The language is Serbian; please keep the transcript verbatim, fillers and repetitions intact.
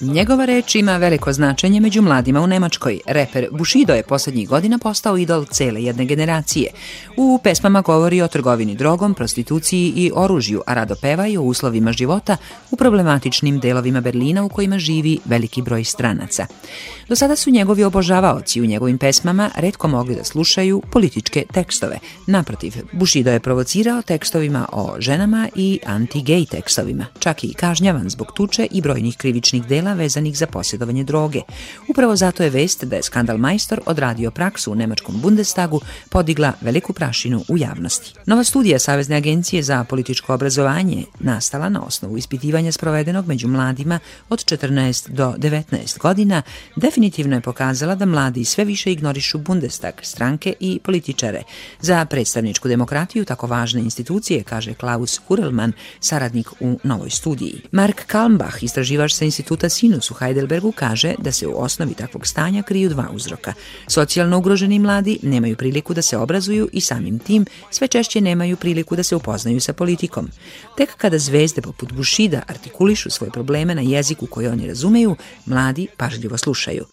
Njegova reč ima veliko značenje među mladima u Nemačkoj. Reper Bushido je poslednjih godina postao idol cele jedne generacije. U pesmama govori o trgovini drogom, prostituciji i oružju, a rado peva i o uslovima života u problematičnim delovima Berlina u kojima živi veliki broj stranaca. Do sada su njegovi obožavaoci u njegovim pesmama retko mogli da slušaju političke tekstove. Naprotiv, Bushido je provocirao tekstovima o ženama i anti-gej tekstovima, čak i kažnjavan zbog tuče i brojnih krivičnih dela vezanih za posjedovanje droge. Upravo zato je vest da je skandalmajstor odradio praksu u nemačkom Bundestagu podigla veliku prašinu u javnosti. Nova studija Savezne agencije za političko obrazovanje, nastala na osnovu ispitivanja sprovedenog među mladima od četrnaest do devetnaest godina, definitivno je pokazala da mladi sve više ignorišu Bundestag, stranke i političare. Za predstavničku demokratiju tako važne institucije, kaže Klaus Hurelman, saradnik u novoj studiji. Mark Kalmbach, istraživač sa instituta Sinus u Heidelbergu, kaže da se u osnovi takvog stanja kriju dva uzroka. Socijalno ugroženi mladi nemaju priliku da se obrazuju i samim tim sve češće nemaju priliku da se upoznaju sa politikom. Tek kada zvezde poput Bushida artikulišu svoje probleme na jeziku koji oni razumeju, mladi pažljivo slušaju.